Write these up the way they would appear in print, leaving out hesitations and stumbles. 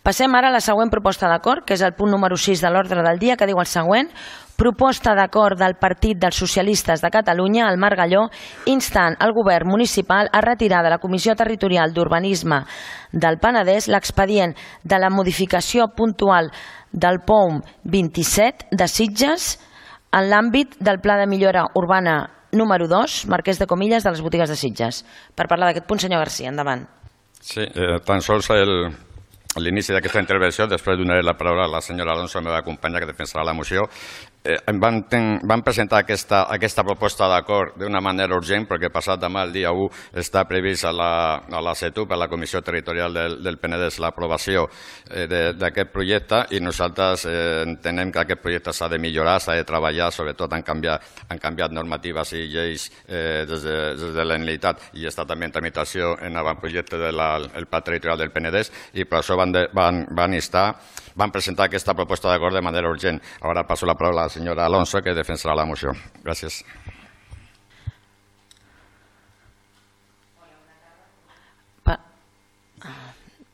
Passem ara a la següent proposta d'acord, que és el punt número 6 de l'ordre del dia, que diu el següent: proposta d'acord del Partit dels Socialistes de Catalunya, el Margalló, instant el govern municipal a retirar de la Comissió Territorial d'Urbanisme del Penedès l'expedient de la modificació puntual del POUM 27 de Sitges en l'àmbit del Pla de Millora Urbana número 2, Marquès de Comillas, de les botigues de Sitges. Per parlar d'aquest punt, senyor García, endavant. Sí, tan sols l'inici d'aquesta intervenció, després donaré la paraula a la senyora Alonso, la meva companya, que defensarà la moció. Van presentar aquesta proposta d'acord d'una manera urgent perquè passat demà, el dia 1, està previst a la CETUP, a la Comissió Territorial del Penedès, l'aprovació d'aquest projecte, i nosaltres entenem que aquest projecte s'ha de millorar, s'ha de treballar, sobretot han canviat normatives i lleis des de la Generalitat, i està també en tramitació en l'avantprojecte del Pla Territorial del Penedès, i per això van presentar aquesta proposta d'acord de manera urgent. Ara passo la paraula a la senyora Alonso, que defensarà la moció. Gràcies.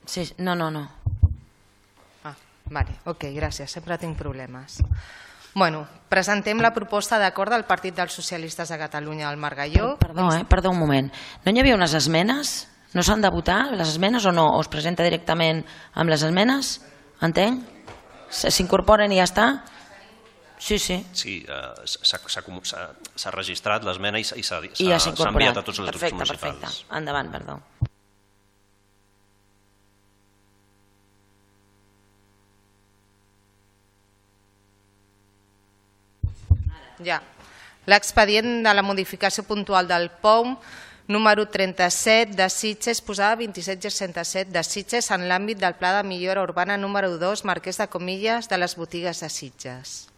Sí, no. Vale, ok, gràcies. Sempre tinc problemes. Bueno, presentem la proposta d'acord del Partit dels Socialistes de Catalunya al Margalló. Perdó un moment. No hi havia unes esmenes? No s'han de votar les esmenes o no? O es presenta directament amb les esmenes? Entenc? S'incorporen i ja està? Sí. Sí, s'ha registrat l'esmena i s'ha incorporat. Enviat a tots els grups municipals. Perfecte. Endavant, perdó. Ja. L'expedient de la modificació puntual del POUM número 37 de Sitges, posada 27-67 de Sitges en l'àmbit del Pla de Millora Urbana número 2, Marquès de Comillas, de les botigues de Sitges.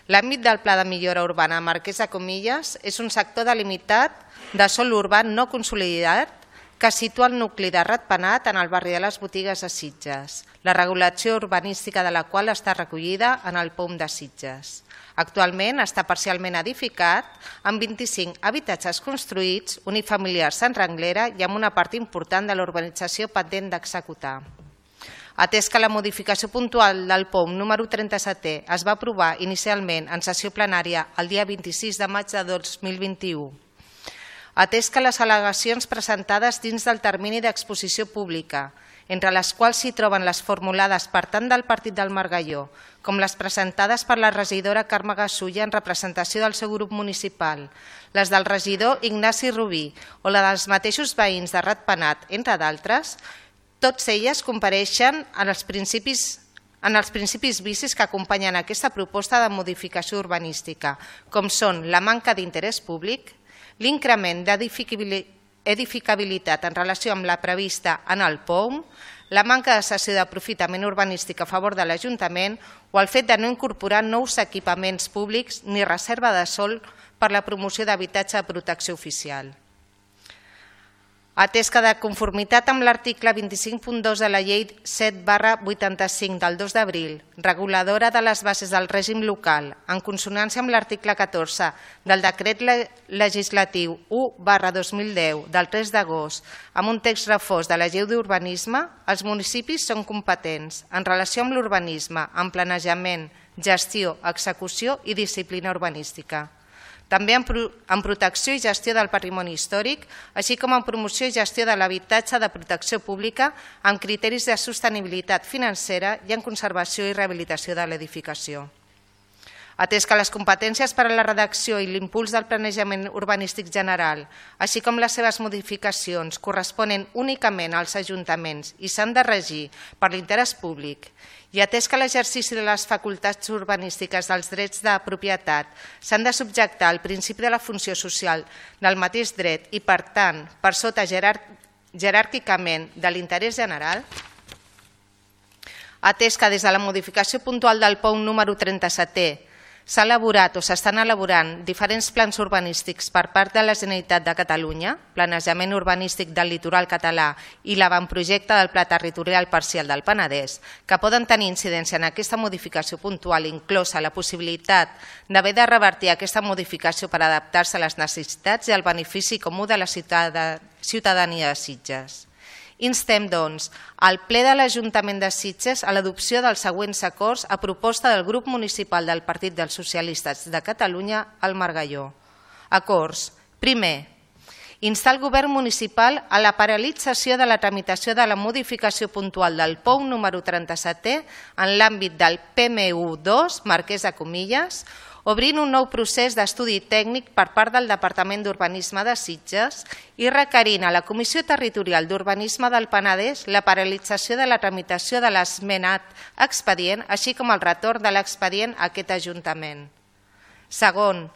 L'àmbit del Pla de Millora Urbana Marquès de Comillas és un sector delimitat de sòl urbà no consolidat que situa el nucli de Ratpenat en el barri de les botigues de Sitges, la regulació urbanística de la qual està recollida en el POUM de Sitges. Actualment està parcialment edificat amb 25 habitatges construïts, unifamiliars en renglera i amb una part important de l'urbanització pendent d'executar. Atès que la modificació puntual del POUM número 37 es va aprovar inicialment en sessió plenària el dia 26 de maig de 2021, atès que les al·legacions presentades dins del termini d'exposició pública, entre les quals s'hi troben les formulades per tant del Partit del Margalló com les presentades per la regidora Carme Gasulla en representació del seu grup municipal, les del regidor Ignasi Rubí o la dels mateixos veïns de Ratpenat, entre d'altres, tots elles compareixen en els principis vicis que acompanyen aquesta proposta de modificació urbanística, com són la manca d'interès públic, l'increment d'edificabilitat en relació amb la prevista en el POUM, la manca de cessió d'aprofitament urbanístic a favor de l'Ajuntament o el fet de no incorporar nous equipaments públics ni reserva de sòl per la promoció d'habitatge de protecció oficial. Atès que de conformitat amb l'article 25.2 de la Llei 7/85 del 2 d'abril, reguladora de les bases del règim local, en consonància amb l'article 14 del Decret Legislatiu 1/2010 del 3 d'agost, amb un text refós de la Llei d'Urbanisme, els municipis són competents en relació amb l'urbanisme, en planejament, gestió, execució i disciplina urbanística. També en protecció i gestió del patrimoni històric, així com en promoció i gestió de l'habitatge de protecció pública amb criteris de sostenibilitat financera i en conservació i rehabilitació de l'edificació. Atès que les competències per a la redacció i l'impuls del planejament urbanístic general, així com les seves modificacions, corresponen únicament als ajuntaments i s'han de regir per l'interès públic, i atès que l'exercici de les facultats urbanístiques dels drets de propietat s'han de subjectar al principi de la funció social del mateix dret i, per tant, per sota jeràrquicament de l'interès general, atès que des de la modificació puntual del POUM número 37 s'ha elaborat o s'estan elaborant diferents plans urbanístics per part de la Generalitat de Catalunya, planejament urbanístic del litoral català i l'avantprojecte del Pla Territorial Parcial del Penedès, que poden tenir incidència en aquesta modificació puntual, inclosa la possibilitat d'haver de revertir aquesta modificació per adaptar-se a les necessitats i al benefici comú de la ciutadania de Sitges. Instem, doncs, al ple de l'Ajuntament de Sitges a l'adopció dels següents acords a proposta del grup municipal del Partit dels Socialistes de Catalunya al Margalló. Acords. Primer, instar el govern municipal a la paralització de la tramitació de la modificació puntual del POU número 37 en l'àmbit del PMU2, Marquès de Comillas, obrint un nou procés d'estudi tècnic per part del Departament d'Urbanisme de Sitges i requerint a la Comissió Territorial d'Urbanisme del Penedès la paralització de la tramitació de l'esmenat expedient, així com el retorn de l'expedient a aquest Ajuntament. Segon,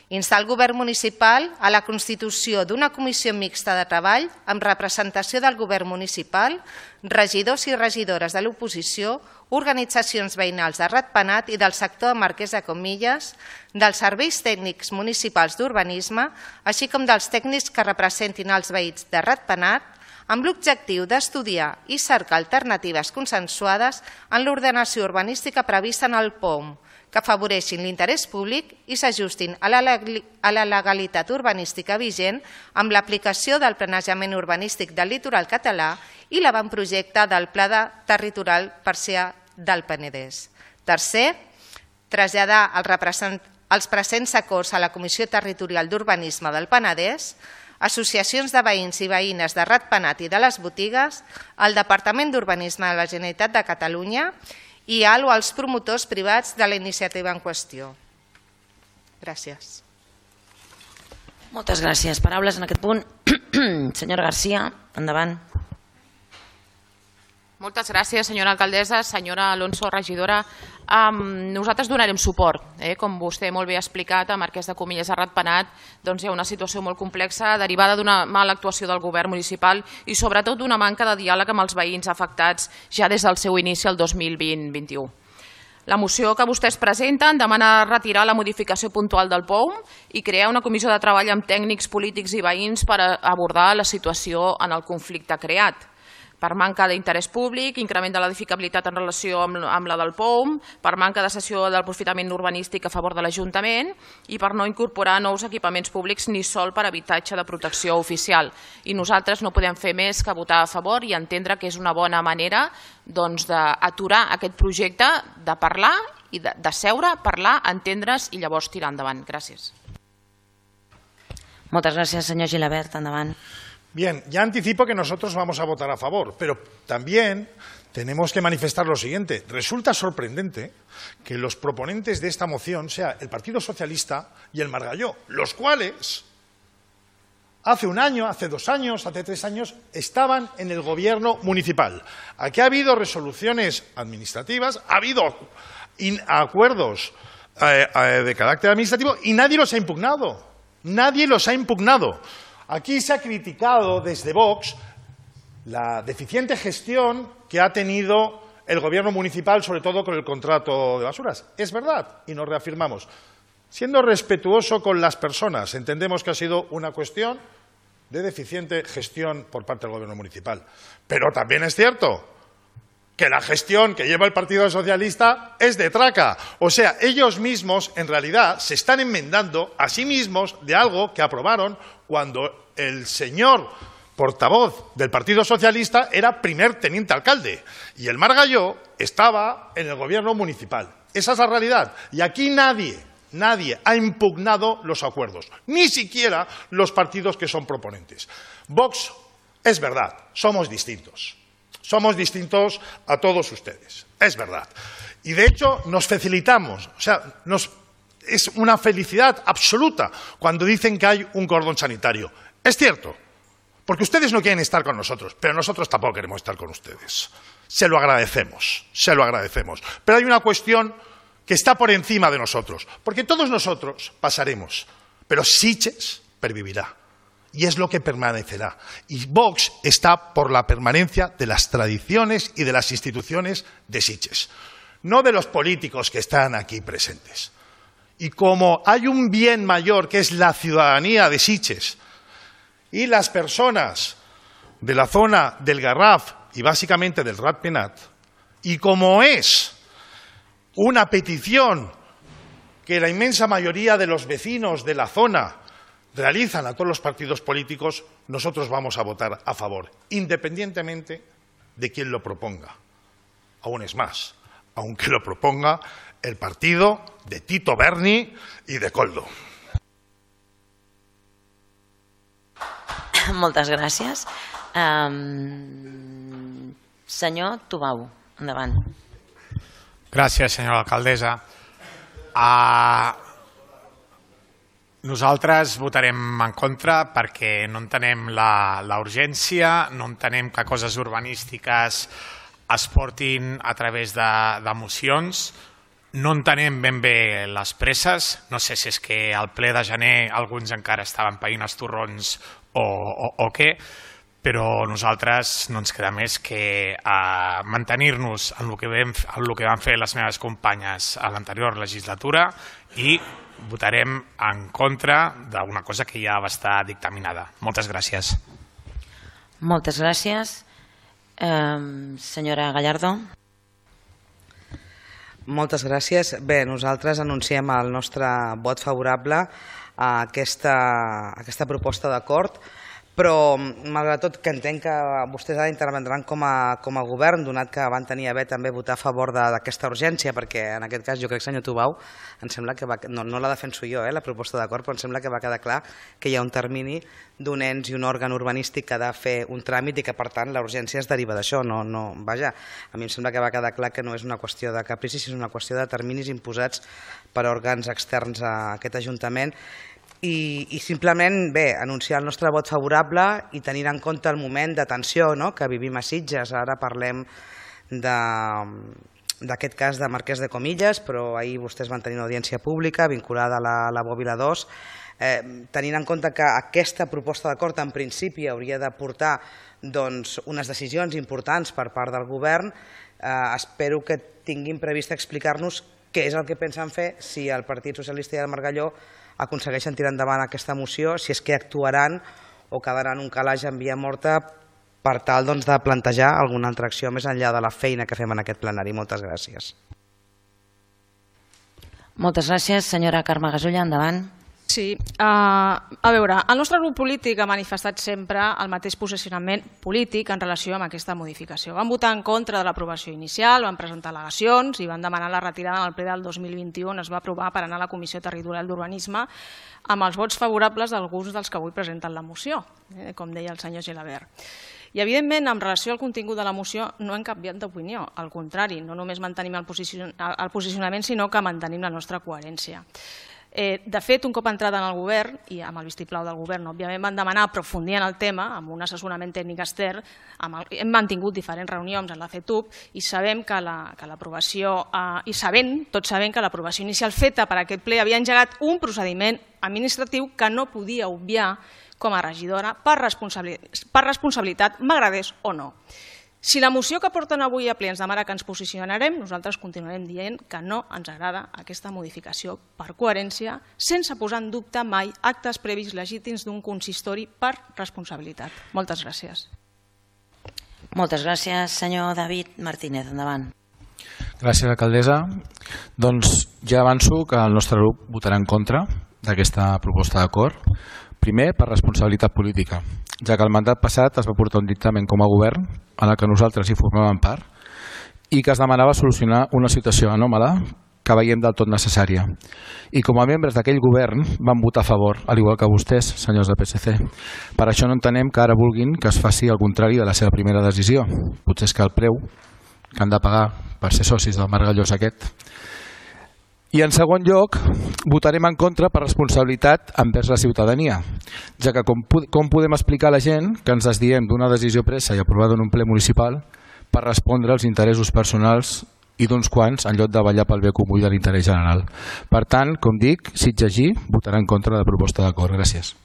instar el govern municipal a la constitució d'una comissió mixta de treball amb representació del govern municipal, regidors i regidores de l'oposició, organitzacions veïnals de Ratpenat i del sector de Marquès de Comillas, dels serveis tècnics municipals d'urbanisme, així com dels tècnics que representin els veïns de Ratpenat, amb l'objectiu d'estudiar i cercar alternatives consensuades en l'ordenació urbanística prevista en el POM, que afavoreixin l'interès públic i s'ajustin a la legalitat urbanística vigent amb l'aplicació del planejament urbanístic del litoral català i l'avantprojecte del Pla Territorial Parcial del Penedès. Tercer, traslladar els presents acords a la Comissió Territorial d'Urbanisme del Penedès, associacions de veïns i veïnes de Ratpenat i de les botigues, al Departament d'Urbanisme de la Generalitat de Catalunya i als promotors privats de la iniciativa en qüestió. Gràcies. Moltes gràcies. Paraules en aquest punt. Senyora Garcia, endavant. Moltes gràcies, senyora alcaldessa. Senyora Alonso, regidora, nosaltres donarem suport. Com vostè molt bé ha explicat, a Marquès de Comillas, a Ratpenat, hi ha una situació molt complexa derivada d'una mala actuació del govern municipal i sobretot d'una manca de diàleg amb els veïns afectats ja des del seu inici el 2020-21. La moció que vostès presenten demana retirar la modificació puntual del POUM i crear una comissió de treball amb tècnics, polítics i veïns per abordar la situació en el conflicte creat. Per manca d'interès públic, increment de l'edificabilitat en relació amb la del POUM, per manca de cessió del aprofitament urbanístic a favor de l'Ajuntament i per no incorporar nous equipaments públics ni sol per habitatge de protecció oficial. I nosaltres no podem fer més que votar a favor i entendre que és una bona manera d'aturar aquest projecte, de parlar i de seure, parlar, entendre's i llavors tirar endavant. Gràcies. Moltes gràcies, senyor Gilabert. Endavant. Bien, ya anticipo que nosotros vamos a votar a favor, pero también tenemos que manifestar lo siguiente. Resulta sorprendente que los proponentes de esta moción sea el Partido Socialista y el Margalló, los cuales hace un año, hace 2 años, hace 3 años estaban en el gobierno municipal. Aquí ha habido resoluciones administrativas, ha habido acuerdos de carácter administrativo y nadie los ha impugnado. Nadie los ha impugnado. Aquí se ha criticado desde Vox la deficiente gestión que ha tenido el gobierno municipal, sobre todo con el contrato de basuras. Es verdad, y nos reafirmamos. Siendo respetuoso con las personas, entendemos que ha sido una cuestión de deficiente gestión por parte del gobierno municipal. Pero también es cierto que la gestión que lleva el Partido Socialista es de traca. O sea, ellos mismos, en realidad, se están enmendando a sí mismos de algo que aprobaron cuando el señor portavoz del Partido Socialista era primer teniente alcalde y el Margalló estaba en el gobierno municipal. Esa es la realidad. Y aquí nadie ha impugnado los acuerdos, ni siquiera los partidos que son proponentes. Vox, es verdad, somos distintos. Somos distintos a todos ustedes, es verdad. Y de hecho nos facilitamos, o sea, es una felicidad absoluta cuando dicen que hay un cordón sanitario. Es cierto, porque ustedes no quieren estar con nosotros, pero nosotros tampoco queremos estar con ustedes. Se lo agradecemos, se lo agradecemos. Pero hay una cuestión que está por encima de nosotros, porque todos nosotros pasaremos, pero Sitges pervivirá. Y es lo que permanecerá. Y Vox está por la permanencia de las tradiciones y de las instituciones de Sitges, no de los políticos que están aquí presentes. Y como hay un bien mayor que es la ciudadanía de Sitges y las personas de la zona del Garraf y básicamente del Ratpenat, y como es una petición que la inmensa mayoría de los vecinos de la zona realizan a todos los partidos políticos, nosotros vamos a votar a favor, independientemente de quién lo proponga. Aún es más, aunque lo proponga el partido de Tito Berni y de Coldo. Moltes gràcies. Senyor Tubau, endavant. Gràcies, senyora alcaldessa. Nosaltres votarem en contra perquè no entenem la urgència, no entenem que coses urbanístiques es portin a través de mocions, no entenem ben bé les presses, no sé si és que al ple de gener alguns encara estaven païnt els torrons o què, però nosaltres no ens queda més que mantenir-nos en el que van fer les meves companyes a l'anterior legislatura i votarem en contra d'una cosa que ja va estar dictaminada. Moltes gràcies. Moltes gràcies. Senyora Gallardo. Moltes gràcies. Bé, nosaltres anunciem el nostre vot favorable a aquesta proposta d'acord, però malgrat tot que entenc que vostès ara intervendran com a govern, donat que van tenir a bé també votar a favor d'aquesta urgència, perquè en aquest cas jo crec, senyor Tubau, em sembla que no la defenso jo, la proposta d'acord, però em sembla que va quedar clar que hi ha un termini d'un ens i un òrgan urbanístic que ha de fer un tràmit i que per tant la urgència es deriva d'això. Vaja, a mi em sembla que va quedar clar que no és una qüestió de caprici, sinó una qüestió de terminis imposats per òrgans externs a aquest Ajuntament. I simplement, bé, anunciar el nostre vot favorable i tenir en compte el moment de tensió que vivim a Sitges. Ara parlem d'aquest cas de Marquès de Comillas, però ahir vostès van tenir una audiència pública vinculada a la Bòbila 2. Tenint en compte que aquesta proposta d'acord en principi hauria de portar unes decisions importants per part del govern, espero que tinguin previst explicar-nos què és el que pensen fer si el Partit Socialista i el Margalló aconsegueixen tirar endavant aquesta moció, si és que actuaran o quedaran un calaix en via morta per tal de plantejar alguna altra acció més enllà de la feina que fem en aquest plenari. Moltes gràcies. Moltes gràcies. Senyora Carme Gasulla, endavant. Sí, a veure, el nostre grup polític ha manifestat sempre el mateix posicionament polític en relació amb aquesta modificació. Van votar en contra de l'aprovació inicial, van presentar al·legacions i van demanar la retirada en el ple del 2021 on es va aprovar per anar a la Comissió Territorial d'Urbanisme amb els vots favorables d'alguns dels que avui presenten la moció, com deia el senyor Gelabert. I, evidentment, en relació al contingut de la moció no hem canviat d'opinió. Al contrari, no només mantenim el posicionament, sinó que mantenim la nostra coherència. De fet, un cop entrada en el govern, i amb el vistiplau del govern, òbviament van demanar aprofundir en el tema amb un assessorament tècnic extern. Hem mantingut diferents reunions en la FETUB i sabem que l'aprovació, tots sabem que l'aprovació inicial feta per aquest ple havia engegat un procediment administratiu que no podia obviar com a regidora per responsabilitat, m'agradés o no. Si la moció que porten avui a ple ens demana que ens posicionarem, nosaltres continuarem dient que no ens agrada aquesta modificació per coherència, sense posar en dubte mai actes previs legítims d'un consistori per responsabilitat. Moltes gràcies. Moltes gràcies. Senyor David Martínez, endavant. Gràcies, alcaldessa. Doncs ja avanço que el nostre grup votarà en contra d'aquesta proposta d'acord. Primer, per responsabilitat política, ja que el mandat passat es va portar un dictamen com a govern en el que nosaltres hi formàvem part i que es demanava solucionar una situació anòmala que veiem del tot necessària. I com a membres d'aquell govern van votar a favor, al igual que vostès, senyors del PSC. Per això no entenem que ara vulguin que es faci el contrari de la seva primera decisió. Potser és que el preu que han de pagar per ser socis del Margallós aquest. I en segon lloc, votarem en contra per responsabilitat envers la ciutadania, ja que com podem explicar a la gent que ens desdiem d'una decisió presa i aprovada en un ple municipal per respondre als interessos personals i d'uns quants en lloc de vetllar pel bé comú i de l'interès general. Per tant, com dic, Sitges votarà en contra de la proposta d'acord. Gràcies.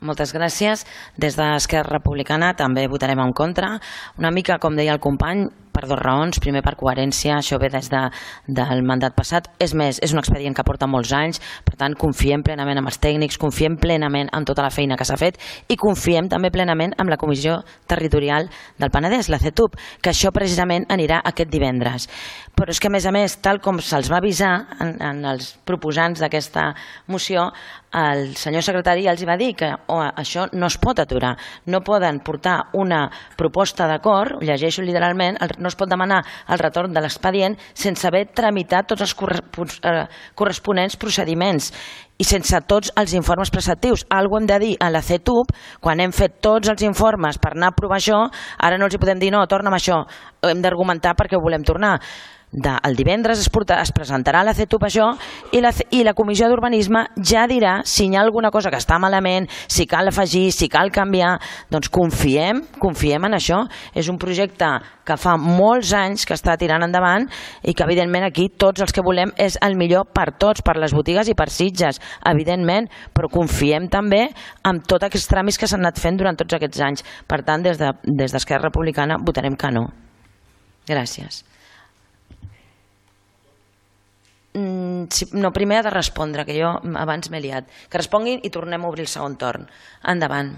Moltes gràcies. Des d'Esquerra Republicana també votarem en contra. Una mica, com deia el company, per dues raons. Primer, per coherència, això ve des del mandat passat. És més, és un expedient que porta molts anys, per tant, confiem plenament en els tècnics, confiem plenament en tota la feina que s'ha fet i confiem també plenament en la Comissió Territorial del Penedès, la CETUP, que això precisament anirà aquest divendres. Però és que, a més, tal com se'ls va avisar en els proposants d'aquesta moció, el senyor secretari ja els va dir que això no es pot aturar. No poden portar una proposta d'acord, llegeixo literalment, no es pot demanar el retorn de l'expedient sense haver tramitat tots els corresponents procediments i sense tots els informes preceptius. Algo hem de dir a la CETUP, quan hem fet tots els informes per anar a aprovar això, ara no els hi podem dir no, torna'm això, hem d'argumentar perquè ho volem tornar. El divendres es presentarà a la CETUP això i la Comissió d'Urbanisme ja dirà si hi ha alguna cosa que està malament, si cal afegir, si cal canviar. Doncs confiem en això. És un projecte que fa molts anys que està tirant endavant i que evidentment aquí tots els que volem és el millor per tots, per les botigues i per Sitges, evidentment, però confiem també en tots aquests tràmits que s'han anat fent durant tots aquests anys. Per tant, des d'Esquerra Republicana votarem que no. Gràcies. No, primer ha de respondre, que jo abans m'he liat. Que responguin i tornem a obrir el segon torn. Endavant.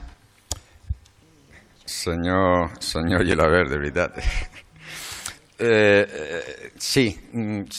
Senyor Gilabert, de veritat. Sí,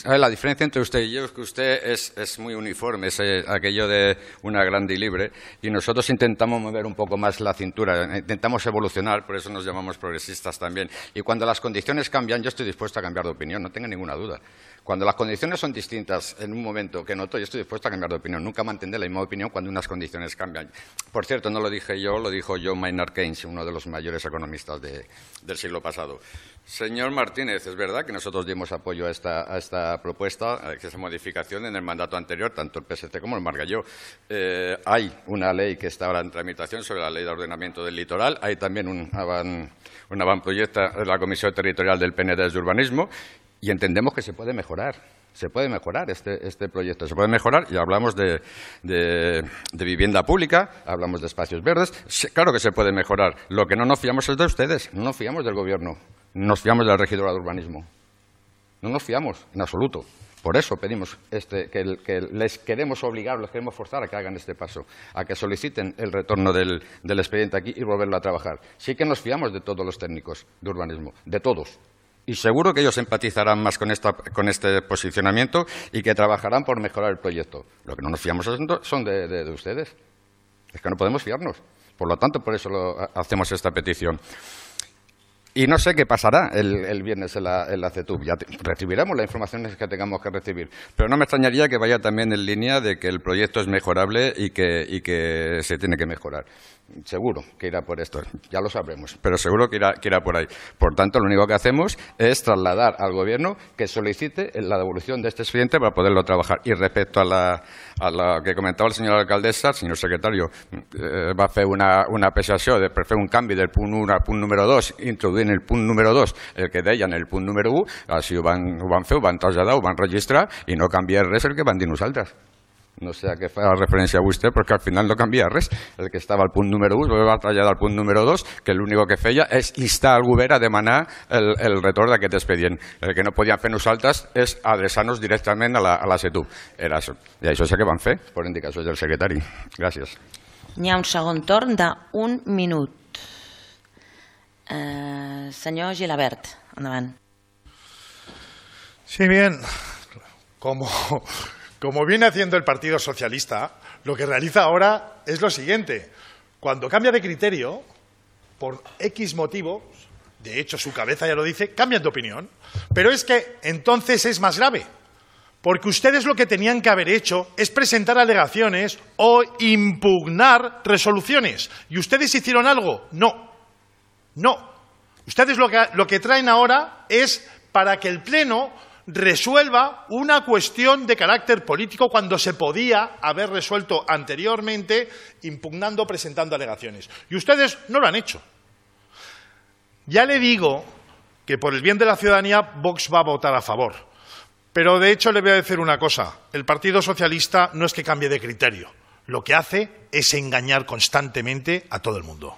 la diferencia entre usted y yo es que usted es muy uniforme, es aquello de una grande y libre, y nosotros intentamos mover un poco más la cintura, intentamos evolucionar, por eso nos llamamos progresistas también. Y cuando las condiciones cambian, yo estoy dispuesto a cambiar de opinión, no tenga ninguna duda. Cuando las condiciones son distintas en un momento que noto, yo estoy dispuesto a cambiar de opinión. Nunca mantendré la misma opinión cuando unas condiciones cambian. Por cierto, no lo dije yo, lo dijo John Maynard Keynes, uno de los mayores economistas del siglo pasado. Señor Martínez, es verdad que nosotros dimos apoyo a esta propuesta, a esta modificación en el mandato anterior, tanto el PSC como el Margalló. Hay una ley que está ahora en tramitación sobre la ley de ordenamiento del litoral. Hay también un avantproyecto de la Comisión Territorial del PND de Urbanismo. Y entendemos que se puede mejorar este proyecto, se puede mejorar y hablamos de vivienda pública, hablamos de espacios verdes, claro que se puede mejorar. Lo que no nos fiamos es de ustedes, no nos fiamos del Gobierno, no nos fiamos de la regidora de urbanismo, no nos fiamos en absoluto. Por eso pedimos que les queremos obligar, les queremos forzar a que hagan este paso, a que soliciten el retorno del expediente aquí y volverlo a trabajar. Sí que nos fiamos de todos los técnicos de urbanismo, de todos. Y seguro que ellos empatizarán más con este posicionamiento y que trabajarán por mejorar el proyecto. Lo que no nos fiamos son de ustedes. Es que no podemos fiarnos. Por lo tanto, por eso hacemos esta petición. Y no sé qué pasará el viernes en la CETUP. Ya recibiremos las informaciones que tengamos que recibir. Pero no me extrañaría que vaya también en línea de que el proyecto es mejorable y que se tiene que mejorar. Seguro que irá por esto, ya lo sabremos, pero seguro que irá por ahí. Por tanto, lo único que hacemos es trasladar al Gobierno que solicite la devolución de este expediente para poderlo trabajar. Y respecto a la que comentaba el señor alcaldessa, señor secretario, va fer una apreciació de per fer un canvi del punt 1 al punt número 2, introduint el punt número 2, el que deien el punt número 1, així ho van fer, ho van traslladar, ho van registrar i no canvia res el que van dir nosaltres. No sé a què fa referència vostè, perquè al final no canvia res. El que estava al punt número 1 es va traslladar al punt número 2, que l'únic que feia és instar al govern a demanar el retorn d'aquest expedient. El que no podíem fer nosaltres és adreçar-nos directament a la CETUP. Era això. I això és el que van fer, per indicacions del secretari. Gràcies. Hi ha un segon torn d'un minut. Senyor Gilabert, endavant. Sí, bien. Como viene haciendo el Partido Socialista, lo que realiza ahora es lo siguiente. Cuando cambia de criterio, por X motivos, de hecho su cabeza ya lo dice, cambian de opinión. Pero es que entonces es más grave. Porque ustedes lo que tenían que haber hecho es presentar alegaciones o impugnar resoluciones. ¿Y ustedes hicieron algo? No. No. Ustedes lo que traen ahora es para que el Pleno resuelva una cuestión de carácter político cuando se podía haber resuelto anteriormente impugnando, presentando alegaciones. Y ustedes no lo han hecho. Ya le digo que por el bien de la ciudadanía Vox va a votar a favor. Pero de hecho le voy a decir una cosa. El Partido Socialista no es que cambie de criterio. Lo que hace es engañar constantemente a todo el mundo.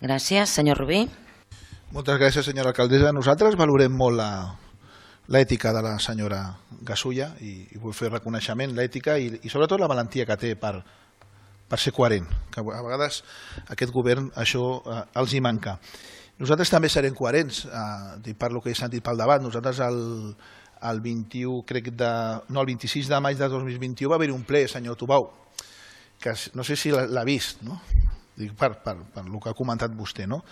Gràcies. Senyor Rubí. Moltes gràcies, senyora alcaldessa. Nosaltres valorem molt l'ètica de la senyora Gasulla i vull fer reconeixement, l'ètica i sobretot la valentia que té per ser coherent, que a vegades aquest govern això els hi manca. Nosaltres també serem coherents, per lo que he sentit pel debat. Nosaltres el 21, el 26 de maig de 2021 va haver-hi un ple, senyor Tubau, que no sé si l'ha vist, no? Dic per el que ha comentat vostè, no?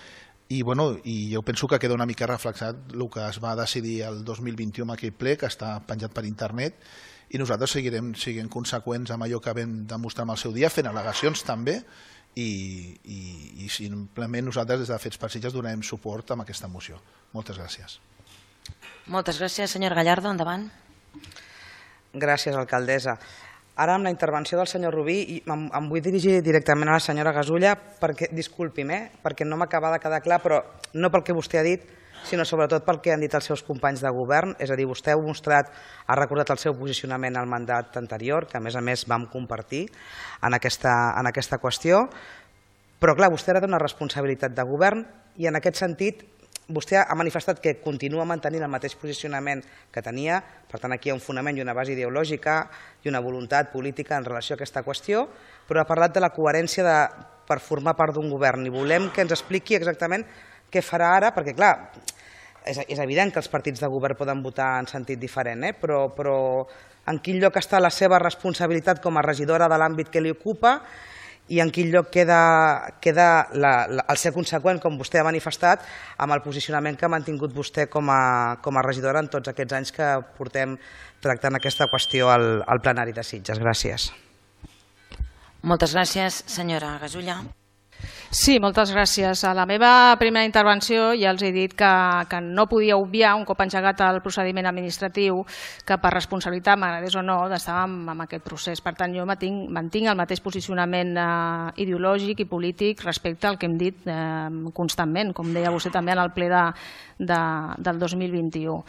I jo penso que queda una mica reflexat el que es va decidir el 2021 en aquell ple, que està penjat per internet, i nosaltres seguirem sent conseqüents amb allò que vam demostrar en el seu dia, fent al·legacions també, i simplement nosaltres des de Fets per Sitges donarem suport a aquesta moció. Moltes gràcies. Moltes gràcies, senyor Gallardo, endavant. Gràcies, alcaldessa. Ara, amb la intervenció del senyor Rubí, em vull dirigir directament a la senyora Gasulla, perquè, disculpi'm, perquè no m'acaba de quedar clar, però no pel que vostè ha dit, sinó sobretot pel que han dit els seus companys de govern. És a dir, vostè ha recordat el seu posicionament al mandat anterior, que a més vam compartir en aquesta qüestió, però clar, vostè ara té una responsabilitat de govern i en aquest sentit vostè ha manifestat que continua mantenint el mateix posicionament que tenia, per tant aquí hi ha un fonament i una base ideològica i una voluntat política en relació a aquesta qüestió, però ha parlat de la coherència per formar part d'un govern i volem que ens expliqui exactament què farà ara, perquè clar, és evident que els partits de govern poden votar en sentit diferent, però en quin lloc està la seva responsabilitat com a regidora de l'àmbit que li ocupa i en quin lloc queda el ser conseqüent, com vostè ha manifestat, amb el posicionament que ha mantingut vostè com a regidora en tots aquests anys que portem tractant aquesta qüestió al plenari de Sitges. Gràcies. Moltes gràcies, senyora Gasulla. Sí, moltes gràcies. A la meva primera intervenció ja els he dit que no podia obviar, un cop engegat el procediment administratiu, que per responsabilitat, m'agradés o no, estàvem en aquest procés. Per tant, jo mantinc el mateix posicionament ideològic i polític respecte al que hem dit constantment, com deia vostè també en el ple del 2021.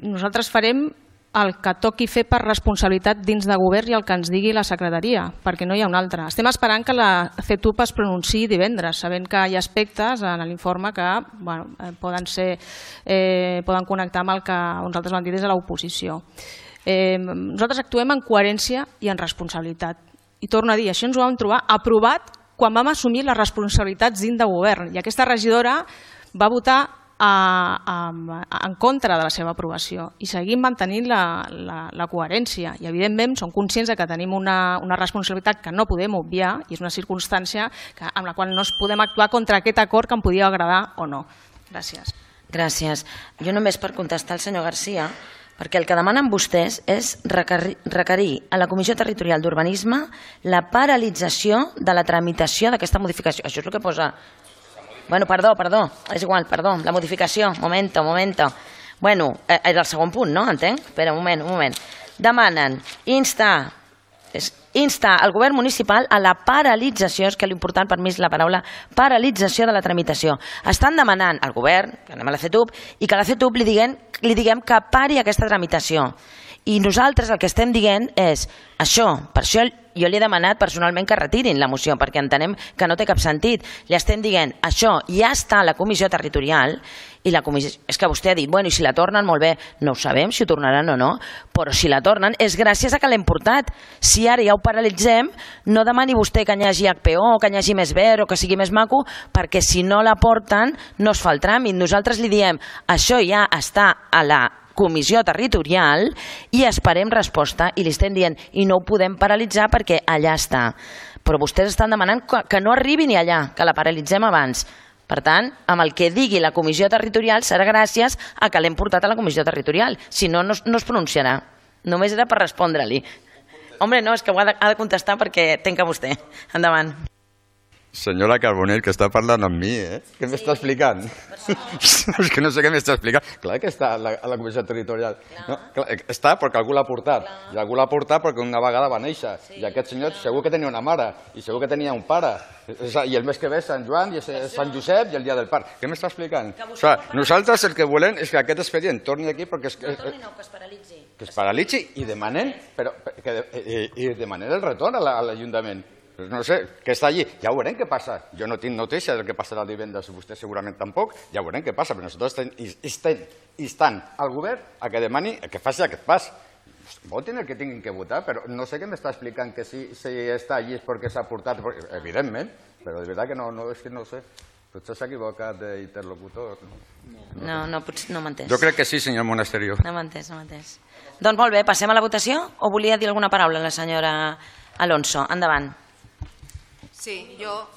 Nosaltres farem el que toqui fer per responsabilitat dins de govern i el que ens digui la secretaria, perquè no hi ha un altre. Estem esperant que la CETUP es pronunciï divendres, sabent que hi ha aspectes en l'informe que poden connectar amb el que nosaltres vam dir des de l'oposició. Nosaltres actuem en coherència i en responsabilitat. I torno a dir, això ens ho vam trobar aprovat quan vam assumir les responsabilitats dins de govern, i aquesta regidora va votar en contra de la seva aprovació i seguim mantenint la coherència i evidentment som conscients que tenim una responsabilitat que no podem obviar i és una circumstància amb la qual no podem actuar contra aquest acord que em podia agradar o no. Gràcies. Gràcies. Jo només per contestar al senyor Garcia, perquè el que demanen vostès és requerir a la Comissió Territorial d'Urbanisme la paralització de la tramitació d'aquesta modificació. Això és el que posa... Bueno, perdó, és igual, perdó, la modificació, momento. Bueno, és el segon punt, no? Entenc? Espera, un moment. Demanen instar el govern municipal a la paralització, és que l'important per mi és la paraula paralització de la tramitació. Estan demanant al govern, que anem a la CETUP, i que a la CETUP li diguem que pari aquesta tramitació. I nosaltres el que estem dient és això, per això jo li he demanat personalment que retirin la moció, perquè entenem que no té cap sentit. Li estem dient, això ja està a la comissió territorial, i la comissió, és que vostè ha dit, bueno, i si la tornen, molt bé, no ho sabem si ho tornaran o no, però si la tornen és gràcies a que l'hem portat. Si ara ja ho paralitzem, no demani vostè que hi hagi HPO, que hi hagi més verd o que sigui més maco, perquè si no la porten no es fa el tràmit. Nosaltres li diem, això ja està a la comissió territorial i esperem resposta i li estem dient i no ho podem paralitzar perquè allà està. Però vostès estan demanant que no arribi ni allà, que la paralitzem abans. Per tant, amb el que digui la comissió territorial serà gràcies a que l'hem portat a la comissió territorial. Si no, no es pronunciarà. Només era per respondre-li. Home, no, és que ho ha de contestar perquè tenca vostè. Endavant. Senyora Carbonell, que està parlant amb mi, Què m'està explicant? És que no sé què m'està explicant. Clar que està a la comissió territorial. No, està perquè algú l'ha portat. I algú l'ha portat perquè una vegada va néixer. I aquest senyor segur que tenia una mare i segur que tenia un pare. I el mes que ve és Sant Joan i és Sant Josep i el dia del parc. Què m'està explicant? Nosaltres el que volem és que aquest expedient torni aquí perquè... Que torni no, que es paralitzi. Que es paralitzi i demanen el retorn a l'Ajuntament. No sé, que està allí. Ja veurem què passa. Jo no tinc notícia del que passarà divendres, vostè segurament tampoc. Ja veurem què passa, però nosaltres estem instant al govern a que demani que faci aquest pas. Votin el que tinguin que votar, però no sé què m'està explicant que si està allí és perquè s'ha portat, evidentment, però de veritat que no, és que no sé. Potser s'ha equivocat d'interlocutor. No, potser no m'ha entès. Jo crec que sí, senyor Monasterio. No m'ha entès. Doncs molt bé, passem a la votació o volia dir alguna paraula la senyora Alonso? Endavant. Sí, jo...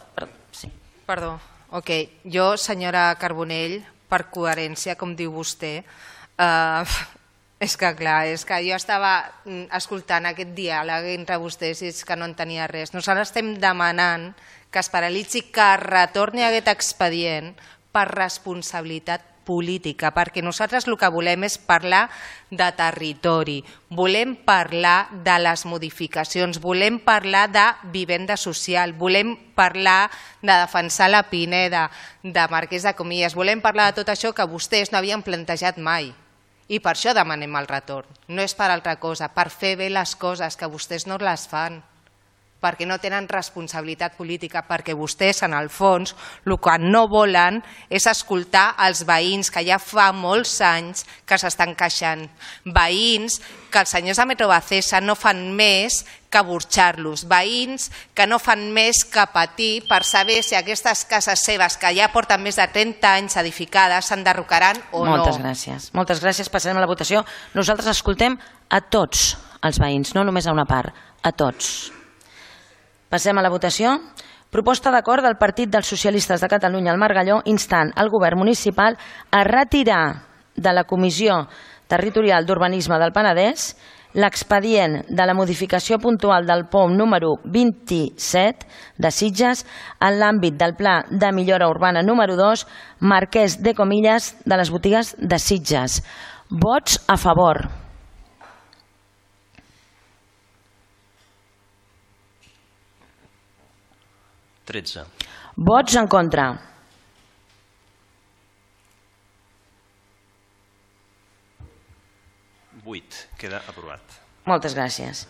Sí. Perdó. Ok, jo, senyora Carbonell, per coherència, com diu vostè, és que clar, és que jo estava escoltant aquest diàleg entre vostès i és que no entenia res. Nosaltres estem demanant que es paralitzi, que retorni aquest expedient per responsabilitat política, perquè nosaltres el que volem és parlar de territori, volem parlar de les modificacions, volem parlar de vivenda social, volem parlar de defensar la Pineda, de Marquès de Comillas, volem parlar de tot això que vostès no havien plantejat mai. I per això demanem el retorn. No és per altra cosa, per fer bé les coses, que vostès no les fan, perquè no tenen responsabilitat política, perquè vostès, en el fons, el que no volen és escoltar els veïns que ja fa molts anys que s'estan queixant. Veïns que els senyors de Metrobacesa no fan més que burxar-los. Veïns que no fan més que patir per saber si aquestes cases seves, que ja porten més de 30 anys edificades, s'enderrocaran o no. Moltes gràcies. Moltes gràcies. Passarem a la votació. Nosaltres escoltem a tots els veïns, no només a una part, a tots. Passem a la votació. Proposta d'acord del Partit dels Socialistes de Catalunya al Margalló instant el govern municipal a retirar de la Comissió Territorial d'Urbanisme del Penedès l'expedient de la modificació puntual del POM número 27 de Sitges en l'àmbit del Pla de Millora Urbana número 2 Marquès de Comillas de les botigues de Sitges. Vots a favor. Vots en contra. 8. Queda aprovat. Moltes gràcies.